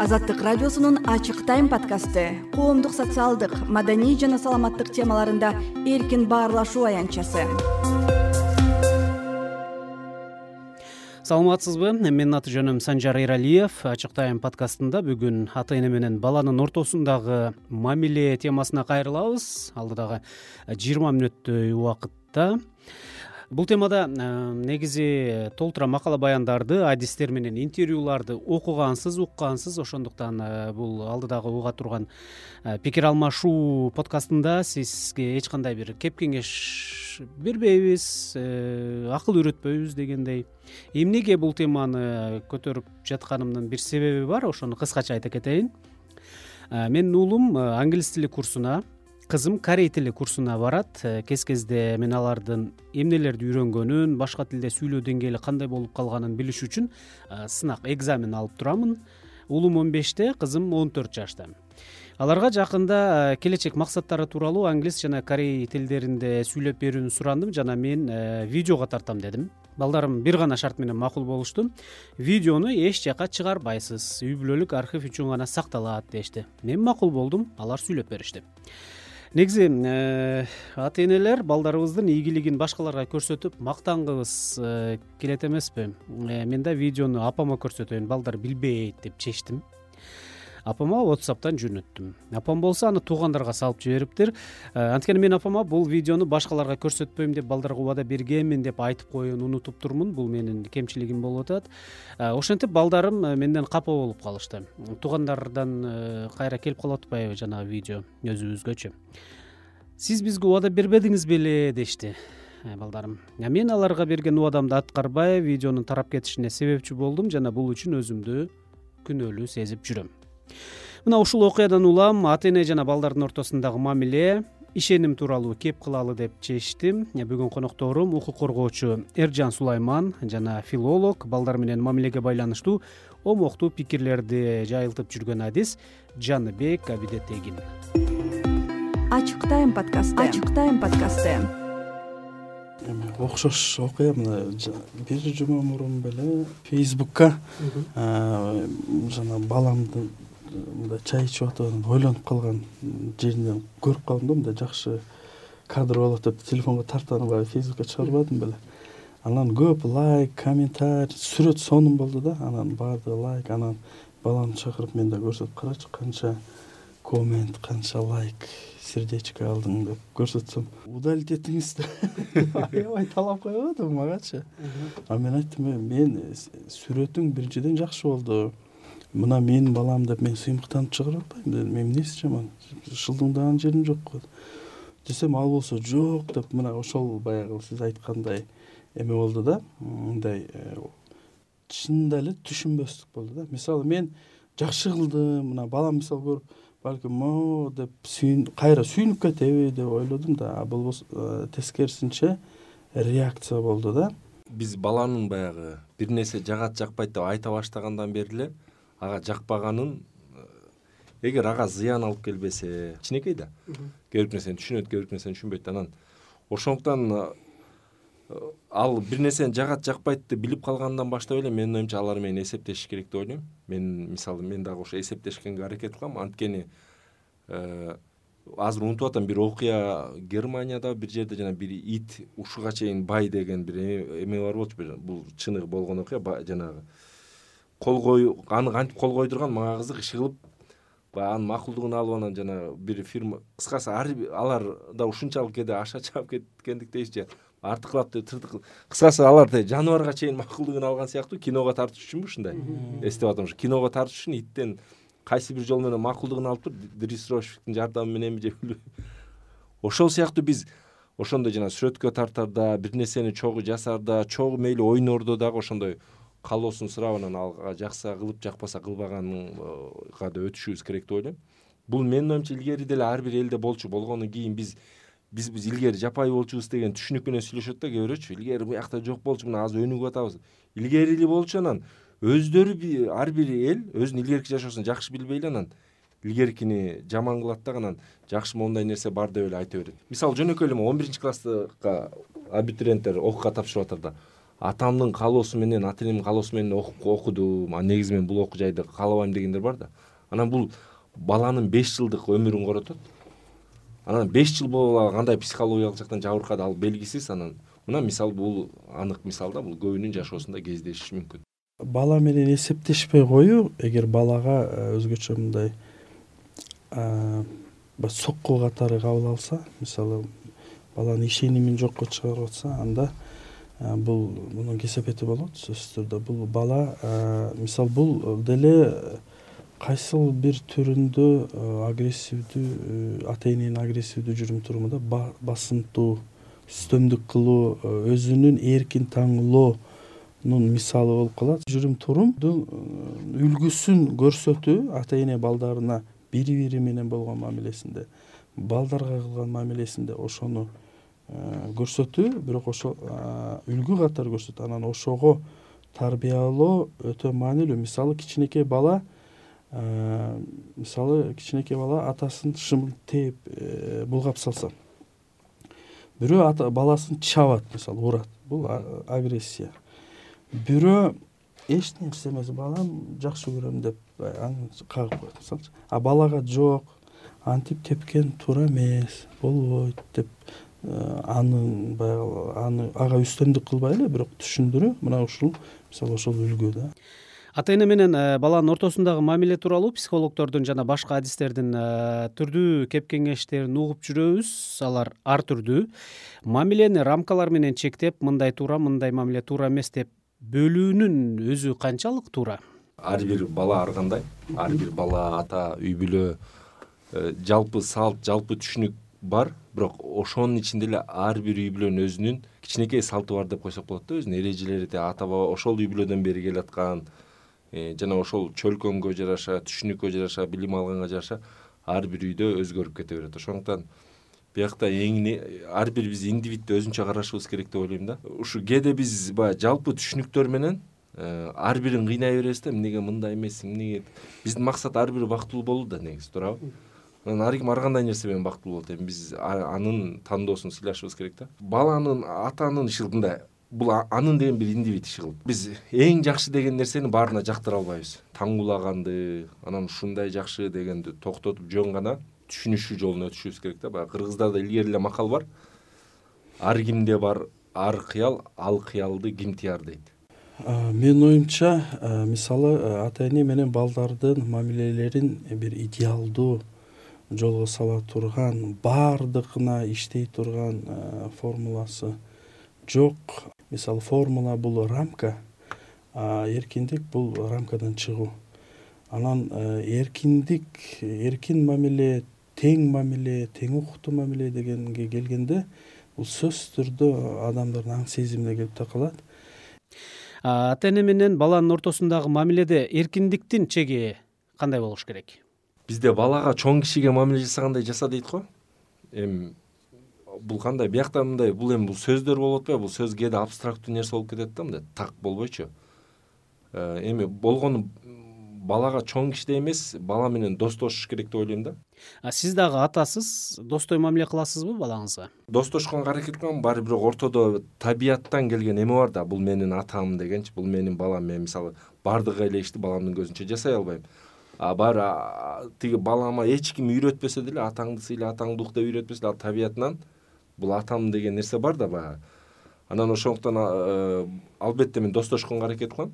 Азаттык радиосунун Ачык тайм подкасты коомдук, социалдык, маданий жана саламаттык темаларында эркин баарлашуу аянтчасы. Саламатсызбы? Менин аты жөнүм Санжар Эралиев. Ачык тайм подкастында бүгүн ата-эне менен баланын ортосундагы мамиле темасына кайрылабыз. Алдыдагы 20 мүнөттөй убакытта. Бул темада негизи толтура макала баяндарды, адистер менен интервьюларды окугансыз, уккансыз, ошондуктан бул алдыдагы уга турган пикир алмашуу подкастында сизге эч кандай бир кеп кеңеш бербейбиз, акыл үйрөтпөйбүз дегендей. Эмнеге бул теманы көтөрүп жатканымдын бир себеби бар, ошону кыскача айта кетейин. Менин уулум англис тили курсуна, кызым корей тили курсуна барат. Кез-кезде мен алардын эмнелерди үйрөнгөнүн, башка тилде сүйлөө деңгээли кандай болуп калганын билиш үчүн сынак, экзамен алып турамын. Уулум 15-те, кызым 14 жашта. Аларга жакында келечек максаттары тууралуу англис жана корей тилдеринде сүйлөп берүүнү сурандым жана мен видеого тартам дедим. Балдарым бир гана шарт менен макул болушту. Видеону эч жака чыгарбайсыз, үй бүлөлүк архив үчүн гана сакталат дешти. Мен макул болдум, алар сүйлөп беришти. Негизи ата-энелер балдарыбыздын ийгилигин башкаларга көрсөтүп мактангыбыз келет эмеспи? Мен да видеону апама көрсөтөйүн, балдар билбейт деп чечтим. Апама WhatsApp'тан жөнөттүм. Апам болсо аны туугандарга салып жибериптир. Анткени мен апама бул видеону башкаларга көрсөтпөйм деп балдарга убада бергенмин деп айтып коюуну унутуп турмун. Бул менин кемчилигим болуп атат. Ошентип балдарым менден капа болуп калышты. Туугандардан кайра келип калып атпайбы жанагы видео өзүбүзгөчө. Сиз бизге убада бербедиңиз беле дешти балдарым. Мен аларга берген убадамды аткарбай, видеонун тарап кетишине себепчи болдум жана бул үчүн өзүмдү күнөөлүү сезип жүрөм. Мына ушул окуядан улам ата-эне жана балдардын ортосундагы мамиле, ишеним тууралуу кеп кылалы деп чечтим. Бүгүн конокторум укук коргоочу Эржан Сулайман жана филолог, балдар менен мамилеге байланыштуу омоктуу пикирлерди жайылтып жүргөн адис Жаныбек Абидетегин. Ачык тайм подкасты. Ачык тайм подкасты. Окшош окуя мына бир жума мурун беле Facebook'ка жана баламды мындай чай ичип атып ойлонуп калган жеринен көрүп калдым да, мындай жакшы кадр болот деп телефонго тартып Facebook'ка чыгарбадым беле. Анан көп лайк, комментарий, сүрөт сонун болду да. Анан баардыгы лайк, анан баламды чакырып мен да көрсөтүп карачы канча коммент, канча лайк, сердечко алдың деп көрсөтсөм, удалить этиңиз деп аябай талап коюп атам магачы. Мен айттым, мен сүрөтүң биринчиден жакшы болду. Мына менин балам деп мен сыймыктанып чыгарып атпайм. Мен эмнеси жаман, шылдыңдаган жерим жок десем, ал болсо жок деп мына ошол баягы сиз айткандай эме болду да. Мындай чынында эле түшүнбөстүк болду да. Мисалы мен жакшы кылдым, мына балам мисалы көрүп балким деп кайра сүйүнүп кетеби деп ойлодум да. Бул тескерисинче реакция болду да. Биз баланын баягы бир нерсе жагат жакпайт деп айта баштагандан бери эле ага жакпаганын, эгер ага зыян алып келбесе, кичинекей да. Керек нерсени түшүнөт, керек нерсени түшүнбөйт. Анан ошондуктан ал бир нерсени жагат жакпайт деп билип калгандан баштап эле менин оюмча алар менен эсептешиш керек деп ойлойм. Мен мисалы мен дагы ошо эсептешкенге аракет кылам. Анткени азыр унутуп атам, бир окуя Германияда бир жерде жана бир ит ушуга чейин бай деген бир эме бар болчу. Бул чыныгы болгон окуя, жанагы аны кантип кол койдурган, мага кызык, иши кылып анын макулдугун алып анан жана бир фирма, кыскасы алар да ушунчалык кээде аша чаап кеткендиктей же артыклап деп тыртык, кыскасы алар жаныбарга чейин макулдугун алган сыяктуу. Киного тартыш үчүнбү ушундай эстеп атам. Ушу киного тартыш үчүн иттен кайсы бир жол менен макулдугун алып туруп, дрессировщиктин жардамы мененби же билбейм. Ошол сыяктуу биз ошондой жана сүрөткө тартарда, бир нерсени чогуу жасарда, чогуу мейли ойнордо дагы ошондой калоосун сурап анан алга жакса кылып, жакпаса кылбаганга да өтүшүбүз керек деп ойлойм. Бул менин оюмча илгери деле ар бир элде болчу. Болгондон кийин биз илгери жапай болчубуз деген түшүнүк менен сүйлөшөт да кээ бирөөчү. Илгери буякта жок болчу, мына азыр өнүгүп атабыз. Илгери эле болчу, анан өздөрү ар бир эл өзүнүн илгерки жашоосун жакшы билбей эле анан илгеркини жаман кылат да, анан жакшы моундай нерсе бар деп эле айта берет. Мисалы жөнөкөй эле 11-класска абитуриенттер окууга тапшырып атат да. атамдын каалоосу менен, ата энемдин каалоосу менен окудум, негизи мен бул окуу жайды каалабайм дегендер бар да. Анан бул баланын 5 жылдык өмүрүн коротот. Анан 5 жыл боло кандай психологиялык жактан жабыркады ал белгисиз. Анан мына мисал бул анык мисал да, бул көбүнүн жашоосунда кездешиши мүмкүн. Бала менен эсептешпей коюу, эгер балага өзгөчө мындай сокку катары кабыл алса, мисалы баланын ишенимин жокко чыгарып атса, анда бул мунун кесепети болот сөзсүз түрдө. Бул бала мисал бул деле кайсыл бир түрүндө агрессивдүү, ата эненин агрессивдүү жүрүм турумунда басымтуу, үстөмдүк кылуу, өзүнүн эркин таңуулоонун мисалы болуп калат. Жүрүм турумдун үлгүсүн көрсөтүү ата эне балдарына бири менен болгон мамилесинде, балдарга кылган мамилесинде ошону көрсөтүү, бирок ошо үлгү катары көрсөтүү. Анан ошого тарбиялоо өтө маанилүү. Мисалы кичинекей бала атасын шымын тээп булгап салса, бирөө баласын чабат, мисалы урат. Бул агрессия. Бирөө эч нерсе эмес, балам жакшы көрөм деп аны кагып коет, мисалчы. Балага жок, антип тепкен туура эмес, болбойт деп ага үстөмдүк кылбай эле, бирок түшүндүрүү. Мына ушул мисалы ошол үлгү да. Ата эне менен баланын ортосундагы мамиле тууралуу психологдордун жана башка адистердин түрдүү кеп кеңештерин угуп жүрөбүз. Алар ар түрдүү. Мамилени рамкалар менен чектеп, мындай туура, мындай мамиле туура эмес деп бөлүүнүн өзү канчалык туура? Ар бир бала ар кандай, ар бир бала, ата, үй бүлө, жалпы салт, жалпы түшүнүк бар, бирок ошонун ичинде эле ар бир үй бүлөнүн өзүнүн кичинекей салты бар деп койсок болот да, өзүнүн эрежелери. Ата баба ошол үй бүлөдөн бери келаткан, жана ошол чөлкөмгө жараша, түшүнүккө жараша, билим алганга жараша ар бир үйдө өзгөрүп кете берет. Ошондуктан биякта ар бир биз индивидти өзүнчө карашыбыз керек деп ойлойм да. Ушу кээде биз баягы жалпы түшүнүктөр менен ар бирин кыйнай беребиз да, эмнеге мындай эмес, эмнеге. Биздин максат ар бири бактылуу болуу да, негизи, туурабы? Анан ар ким ар кандай нерсе менен бактылуу болот. Эми биз анын тандоосун сыйлашыбыз керек да. Баланын атанын иши мындай, бул анын деген бир индивид иши кылып. Биз эң жакшы деген нерсени баарына жактыра албайбыз. Таңуулаганды, анан ушундай жакшы дегенди токтотуп жөн гана түшүнүшүү жолуна өтүшүбүз керек да. Баягы кыргыздарда илгери эле макал бар. Ар кимде бар ар кыял, ал кыялды ким тияр дейт. Менин оюмча, мисалы ата эне менен балдардын мамилелерин бир идеалдуу жолго сала турган, баардыгына иштей турган формуласы жок. Мисалы формула бул рамка, эркиндик бул рамкадан чыгуу. Анан эркиндик, эркин мамиле, тең укуктуу мамиле дегенге келгенде, бул сөзсүз түрдө адамдардын аң сезимине келип такалат. Ата эне менен баланын ортосундагы мамиледе эркиндиктин чеги кандай болуш керек? Бизде балага чоң кишиге мамиле жасагандай жаса дейт го. Эми бул кандай? Биякта мындай, бул эми бул сөздөр болуп атпайбы? Бул сөз кээде абстрактуу нерсе болуп кетет да, мындай так болбойчу. Эми болгону балага чоң кишидей эмес, бала менен достошуш керек деп ойлойм да. Сиз дагы атасыз, достой мамиле кыласызбы балаңызга? Достошконго аракет кылам, баары бирок ортодо табияттан келген эме бар да, бул менин атам дегенчи, бул менин балам. Мен мисалы бардык эле ишти баламдын көзүнчө жасай албайм. Баары тиги балама эч ким үйрөтпөсө деле, атаңды сыйла, атаңды ук деп үйрөтпөсө деле, ал табиятынан бул атам деген нерсе бар да баягы. Анан ошондуктан албетте мен достошконго аракет кылам.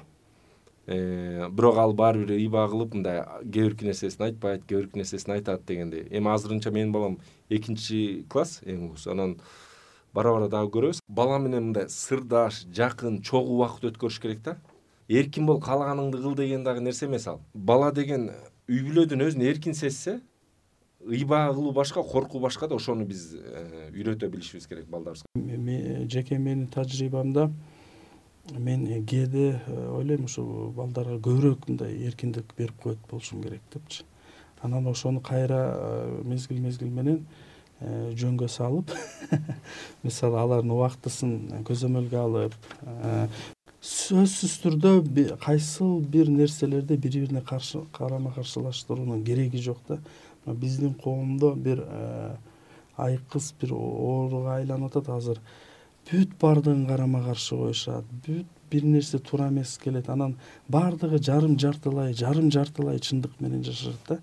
Бирок ал баары бир ыйба кылып, мындай кээ бирки нерсесин айтпайт, кээ бирки нерсесин айтат дегендей. Эми азырынча менин балам 2 класс, эң угусу. Анан бара дагы көрөбүз. Бала менен мындай сырдаш, жакын, чогуу убакыт өткөрүш керек да. Эркин бол, каалаганыңды кыл деген дагы нерсе эмес ал. Бала деген үй бүлөдөн өзүн эркин сезсе, ыйба кылуу башка, коркуу башка да, ошону биз үйрөтө билишибиз керек балдарыбызга. Жеке менин тажрыйбамда мен кээде ойлойм, ушу балдарга көбүрөөк мындай эркиндик берип коет болушум керек депчи. Анан ошону кайра мезгил менен жөнгө салып, мисалы алардын убактысын көзөмөлгө алып, сөзсүз түрдө кайсыл бир нерселерди бири-бирине карама каршылаштыруунун кереги жок да. Биздин коомдо бир айкыз бир ооруга айланып атат азыр. бүт баардыгын карама каршы коюшат, бүт бир нерсе туура эмес келет, анан баардыгы жарым жартылай чындык менен жашашат да.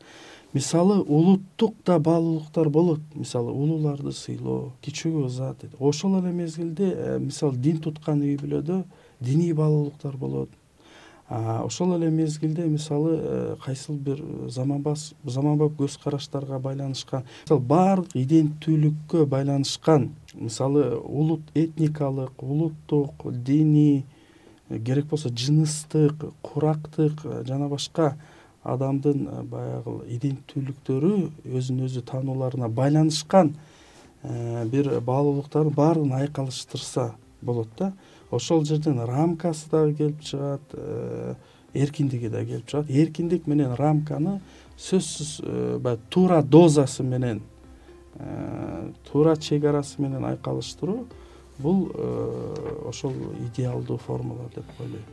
Мисалы улуттук да баалуулуктар болот, мисалы улууларды сыйлоо, кичүүгө ыза. Ошол эле мезгилде мисалы дин туткан үй бүлөдө диний баалуулуктар болот. Ошол эле мезгилде мисалы кайсыл бир заманбап көз караштарга байланышкан, мисалы баардык иденттүүлүккө байланышкан, мисалы улут этникалык, улуттук, диний, керек болсо жыныстык, курактык жана башка адамдын баягы иденттүүлүктөрү өзүн өзү таануларына байланышкан бир баалуулуктардын баарын айкалыштырса болот да. Ошол жерден рамкасы дагы келип чыгат, эркиндиги да келип чыгат. Эркиндик менен рамканы сөзсүз баягы туура дозасы менен, туура чек арасы менен айкалыштыруу бул ошол идеалдуу формула деп ойлойм.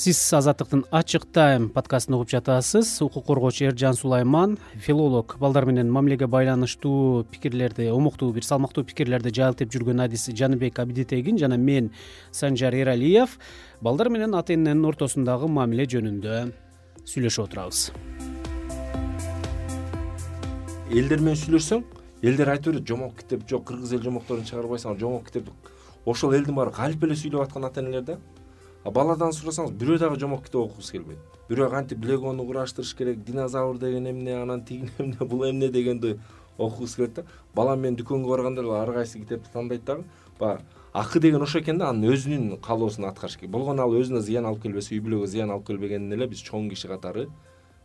Сиз Азаттыктын Ачык Тайм подкастын угуп жатасыз. Укук коргоочу Эржан Сулайман, филолог, балдар менен мамилеге байланыштуу пикирлерди, омуктуу бир салмактуу пикирлерди жайылтып жүргөн адис Жаныбек Абидитегин жана мен Санжар Эралиев балдар менен ата эненин ортосундагы мамиле жөнүндө сүйлөшүп отурабыз. Элдер менен сүйлөшсөң, элдер айтып берет, жомок китеп жок, кыргыз эл жомокторун чыгарбайсың, жомок китеп. Ошол элдин баары калп эле сүйлөп аткан ата энелер да. Баладан сурасаңыз, бирөө дагы жомок китеп окугусу келбейт. Бирөө кантип легону кураштырыш керек, динозавр деген эмне, анан тиги эмне, бул эмне дегенди окугусу келет да. Балам менен дүкөнгө барганда эле ар кайсы китепти тандайт дагы. Баягы акы деген ошо экен да, анын өзүнүн каалоосун аткарыш керек. Болгону ал өзүнө зыян алып келбесе, үй бүлөгө зыян алып келбегенин эле биз чоң киши катары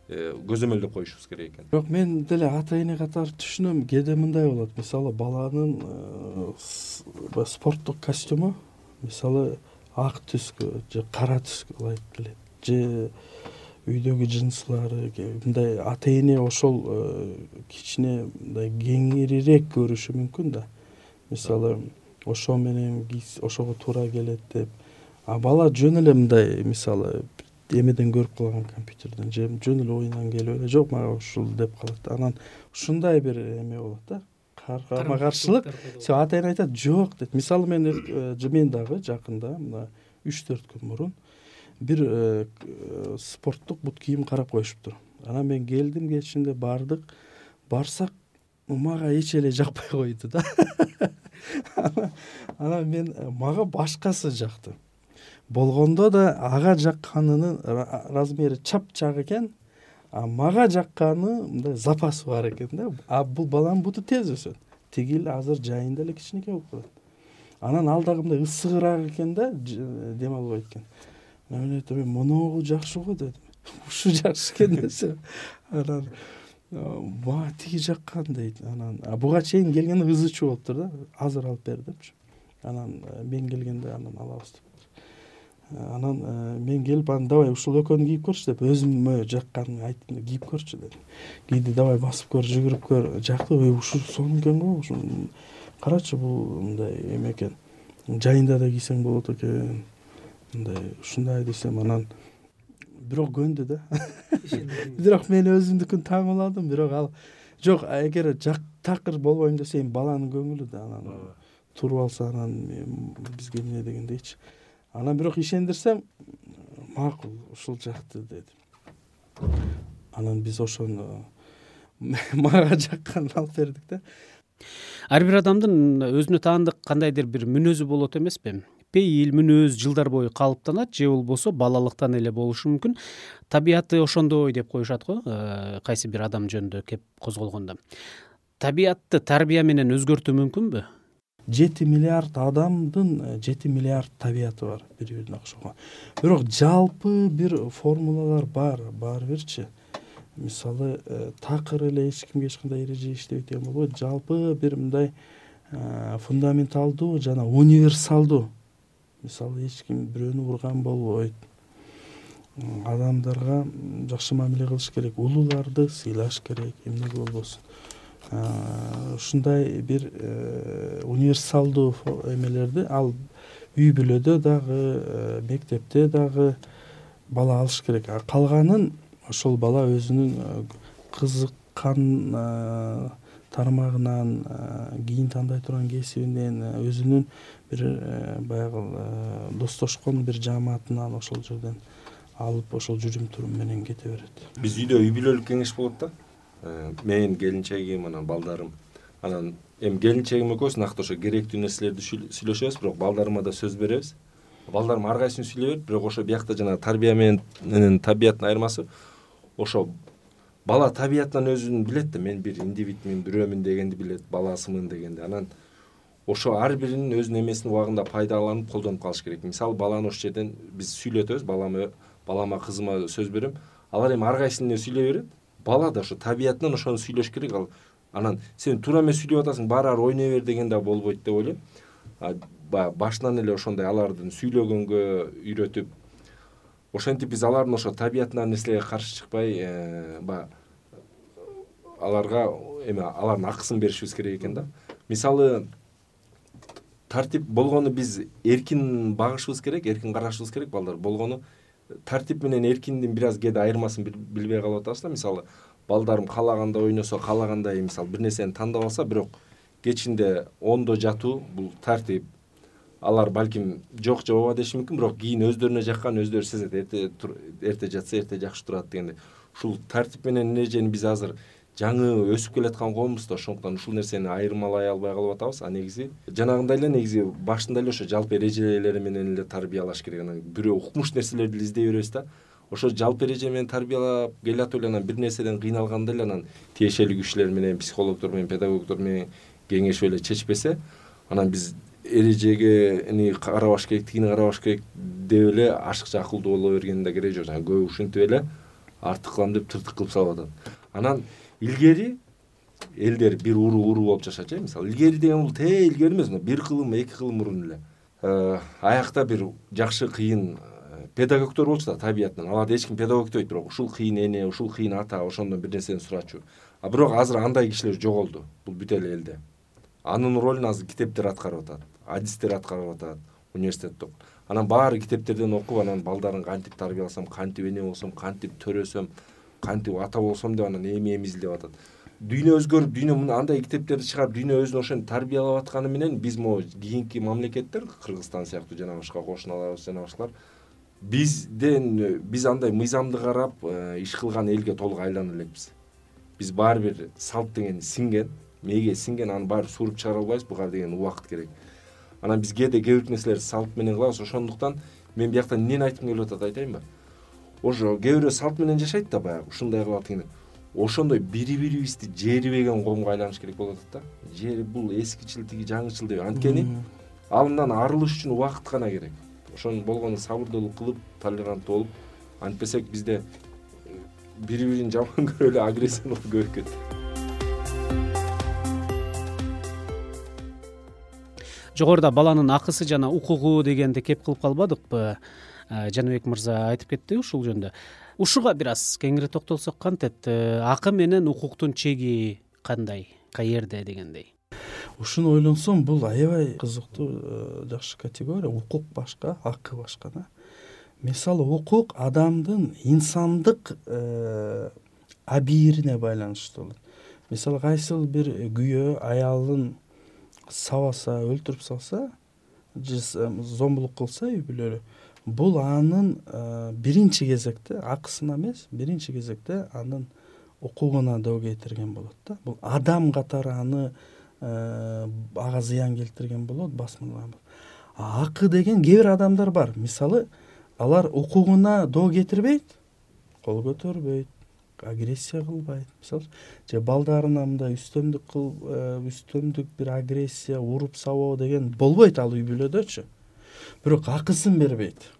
көзөмөлдөп коюшубуз керек экен. Бирок мен деле ата эне катары түшүнөм, кээде мындай болот. Мисалы баланын спорттук костюму, мисалы ак түскө же кара түскө ылайык келет, же үйдөгү жынслары мындай ата эне ошол кичине мындай кеңирирээк көрүшү мүмкүн да. Мисалы ошо менен ошого туура келет деп. Бала жөн эле мындай мисалы эмеден көрүп калган, компьютерден же жөн эле оюндан келип эле жок мага ушул деп калат. Анан ушундай бир эме болот да. Карама каршылык. Ата эне айтат жок дейт. Мисалы мен дагы жакында мына 3-4 күн мурун бир спорттук бут кийим карап коюшуптур. Анан мен келдим, кечинде бардык. Барсак мага эч эле жакпай койду да. Анан мен мага башкасы жакты. Болгондо да ага жакканынын размери чап-чак экен. Мага жакканы мындай запасы бар экен да. Бул баланын буту тез өсөт. Тигил азыр жайында эле кичинекей болуп калат. Анан ал дагы мындай ысыгыраак экен да, дем албайт экен. Мен айттым, моногу жакшы го дедим. Ушу жакшы экен десем. Анан мага тиги жаккан дейт. Анан буга чейин келгенде ызычуу болуптур да. Азыр алып бер депчи. Анан мен келгенде анан алабыз деп. Анан мен келип, анан давай ушул экөөнү кийип көрчү деп, өзүмө жакканын айттым, кийип көрчү дедим. Кийди, давай басып көр, жүгүрүп көр. Жакты, ушул сонун экен го, ушул карачы бул мындай эме экен. Жайында да кийсең болот экен. Мындай ушундай десем, анан бирок көндү да. Бирок мен өзүмдүкүн таңууладым, бирок ал жок, эгер такыр болбойм десе, баланын көңүлү да, анан туруп алса анан бизге эмне дегендейчи. Анан бирок ишендирсем, макул, ушул жакты дедим. Анан биз ошону мага жакканын алып бердик да. Ар бир адамдын өзүнө таандык кандайдыр бир мүнөзү болот эмеспи? Пейил, мүнөз жылдар бою калыптанат, же болбосо балалыктан эле болушу мүмкүн. Табияты ошондой деп коюшат го, кайсы бир адам жөнүндө кеп козголгондо. Табиятты тарбия менен өзгөртүү мүмкүнбү? 7 миллиард адамдын 7 миллиард табияты бар, бири-бирине окшогон. Бирок жалпы бир формулалар бар бирчи. Мисалы, такыр эле эч кимге эч кандай эреже иштебейт деген болбойт. Жалпы бир мындай фундаменталдуу жана универсалдуу. Мисалы, эч ким бирөөнү урган болбойт. Адамдарга жакшы мамиле кылыш керек, улууларды сыйлаш керек, эмнеге болбосун. Ушундай бир универсалдуу эмелерди ал үй бүлөдө дагы, мектепте дагы бала алыш керек. Калганын ошол бала өзүнүн кызыккан тармагынан, кийин тандай турган кесибинен, өзүнүн бир баягы достошкон бир жааматынан ошол жерден алып ошол жүрүм турум менен кете берет. Биз үйдө үй бүлөлүк кеңеш болот да. Мен келинчегим, анан балдарым, анан эми келинчегим экөөбүз накты ошо керектүү нерселерди сүйлөшөбүз, бирок балдарыма да сөз беребиз. Балдарым ар кайсын сүйлөй берет, бирок ошо биякта жана тарбия менен табияттын айырмасы ошо бала табиятынан өзүн билет да, мен бир индивидмин, бирөөмүн дегенди билет, баласымын дегенди. Анан ошо ар биринин өзүнүн эмесин убагында пайдаланып колдонуп калыш керек. Мисалы баланы ошол жерден биз сүйлөтөбүз, балама, кызыма сөз берем. Алар эми ар кайсын эле сүйлөй берет. Бала да ошо табиятынан ошону сүйлөш керек. Анан сен туура эмес сүйлөп атасың, баары ойной бер деген да болбойт деп ойлойм. Башынан эле ошондой алардын сүйлөгөнгө үйрөтүп, ошентип биз алардын ошо табиятынан нерселерге каршы чыкпай, аларга алардын акысын беришибиз керек экен да. Мисалы тартип болгону биз эркин багышыбыз керек, эркин карашыбыз керек. Балдар болгону тартип менен эркиндин бир аз кээде айырмасын билбей калып атабыз да. Мисалы балдарым каалагандай ойносо, каалагандай мисалы бир нерсени тандап алса, бирок кечинде ондо жатуу бул тартип. Алар балким жок же ооба деши мүмкүн, бирок кийин өздөрүнө жаккан өздөрү сезет. Эрте жатса эрте жакшы турат дегенде. Ушул тартип менен эрежени биз азыр жаңы өсүп келаткан коомбуз да, ошондуктан ушул нерсени айырмалай албай калып атабыз. Негизи жанагындай эле негизи башында эле ошо жалпы эрежелери менен эле тарбиялаш керек. Анан бирөө укмуш нерселерди издей беребиз да. Ошо жалпы эреже менен тарбиялап келатып эле анан бир нерседен кыйналганда эле анан тиешелүү кишилер менен, психологдор менен, педагогдор менен кеңешип эле чечпесе, анан биз эрежеге карабаш керек, тигини карабаш керек деп эле ашыкча акылдуу боло бергенин да кереги жок. Көбү ушинтип эле артык кылам деп тыртык кылып салып атат. Анан илгери элдер бир уруу болуп жашачу. Мисалы илгери деген бул илгери эмес, бир кылым, эки кылым мурун эле аякта бир жакшы кыйын педагогдор болчу да табиятынан. Аларды эч ким педагог дейт, бирок ушул кыйын эне, ушул кыйын ата, ошондон бир нерсени сурачу. Бирок азыр андай кишилер жоголду. Бул бүт эле элде. Анын ролун азыр китептер аткарып атат, адистер аткарып атат, университетте. Анан баары китептерден окуп, анан балдарын кантип тарбияласам, кантип эне болсом, кантип төрөсөм, кантип ата болсом деп анан эми изилдеп атат. Дүйнө өзгөрүп, дүйнө андай китептерди чыгарып, дүйнө өзүн ошентип тарбиялап атканы менен биз могу кийинки мамлекеттер, Кыргызстан сыяктуу жана башка кошуналарыбыз жана башкалар биз андай мыйзамды карап иш кылган элге толук айлана элекпиз. Биз баары бир салт деген сиңген, мээге сиңген, аны баары сууруп чыгара албайбыз, буга деген убакыт керек. Анан биз кээде кээ бир нерселерди салт менен кылабыз. Ошондуктан мен биякта эмнени айткым келип атат айтайынбы? Ошо кээ бирөө салт менен жашайт да, баягы ушундай кылып атат. Ошондой бири-бирибизди жерибеген коомго айланыш керек болуп атат да. Жери бул эскичил, тиги жаңычыл деп. Анткени алымдан арылыш үчүн убакыт гана керек. Ошонун болгону сабырдуулук кылып, толеранттуу болуп, антпесек бизде бири-бирин жаман көрүп эле агрессиялык көбөйүп кетти. Жогоруда баланын акысы жана укугу дегенди кеп кылып калбадыкпы? Жаныбек мырза айтып кетти ушул жөнүндө. Ушуга бир аз кеңири токтолсок кантет? Акы менен укуктун чеги кандай, каерде дегендей? Ушуну ойлонсом, бул аябай кызыктуу, жакшы категория. Укук башка, акы башка да. Мисалы укук адамдын инсандык абийирине байланыштуу болот. Мисалы кайсыл бир күйөө аялын сабаса, өлтүрүп салса, же зомбулук кылса үй бүлөлү, бул анын биринчи кезекте акысына эмес, биринчи кезекте анын укугуна доо кетирген болот да. Бул адам катары аны ага зыян келтирген болот, басмырланган болот. Акы деген кээ бир адамдар бар. Мисалы алар укугуна доо кетирбейт, кол көтөрбөйт, агрессия кылбайт. Мисалы же балдарына мындай үстөмдүк бир агрессия, уруп сабоо деген болбойт ал үй бүлөдөчү. Бирок акысын бербейт.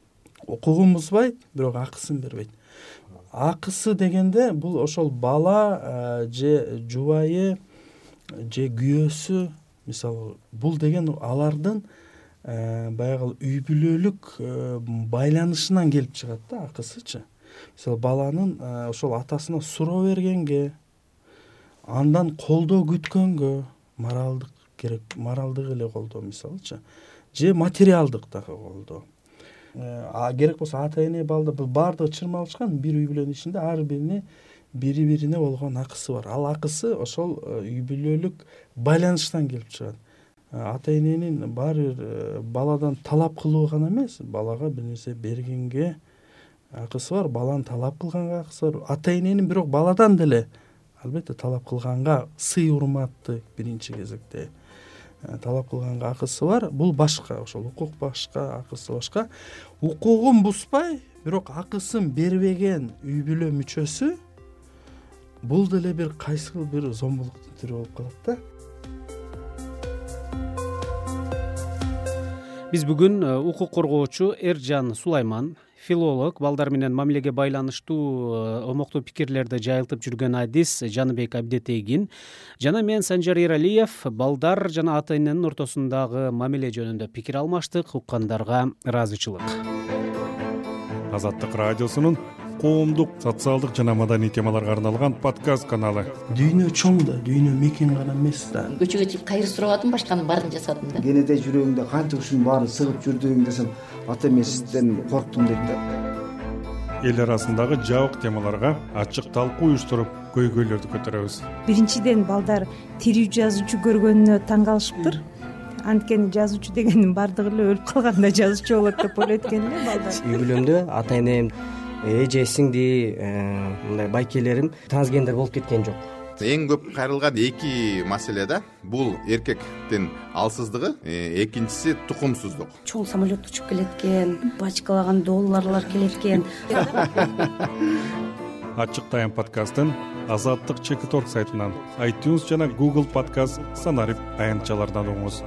Укугун бузбайт, бирок акысын бербейт. Акысы дегенде бул ошол бала же жубайы же күйөөсү, мисалы бул деген алардын баягы үй бүлөлүк байланышынан келип чыгат да акысычы. Мисалы баланын ошол атасына суроо бергенге, андан колдоо күткөнгө, моралдык керек, моралдык эле колдоо мисалычы, же материалдык дагы колдоо. Керек болсо ата эне балдар, бул баардыгы чырмалышкан бир үй бүлөнүн ичинде ар бирине бири бирине болгон акысы бар. Ал акысы ошол үй бүлөлүк байланыштан келип чыгат. Ата эненин баары бир баладан талап кылуу гана эмес, балага бир нерсе бергенге акысы бар, баланы талап кылганга акысы бар. Ата эненин бирок баладан деле албетте талап кылганга сый урматты биринчи кезекте талап кылганга акысы бар. Бул башка, ошол укук башка, акысы башка. Укугун бузбай, бирок акысын бербеген үй бүлө мүчөсү бул деле бир кайсыл бир зомбулуктун түрү болуп калат да. Биз бүгүн укук коргоочу Эржан Сулайман, филолог, балдар менен мамилеге байланыштуу омоктуу пикирлерди жайылтып жүргөн адис Жаныбек Абдетегин жана мен Санжар Эралиев балдар жана ата эненин ортосундагы мамиле жөнүндө пикир алмаштык. Уккандарга ыраазычылык. Азаттык радиосунун коомдук, социалдык жана маданий темаларга арналган подкаст каналы. Дүйнө чоң да, дүйнө мекен гана эмес да. Көчөгө чыгып кайыр сурабадым, башканын баарын жасадым да. Кенеде жүрөгүңдө канча ушунун баарын сыгып жүрдүң десем, ата эмесизден корктум дейт да. Эл арасындагы жабык темаларга ачык талкуу уюштуруп, көйгөйлөрдү көтөрөбүз. Биринчиден балдар тирүү жазуучу көргөнүнө таң калышыптыр. Анткени жазуучу дегендин баардыгы эле өлүп калганда жазуучу болот деп ойлойт экен эле балдар. Үй бүлөмдө ата энем, эже, сиңди, мындай байкелерим трансгендер болуп кеткен жок. Эң көп кайрылган эки маселе да. Бул эркектин алсыздыгы, экинчиси тукумсуздук. Чоң самолет учуп келет экен, бачкалаган долларлар келет экен. Ачык тайм подкастын Азаттык Чекиторг сайтынан, iTunes жана Google Podcast санарип аянтчалардан угуңуз.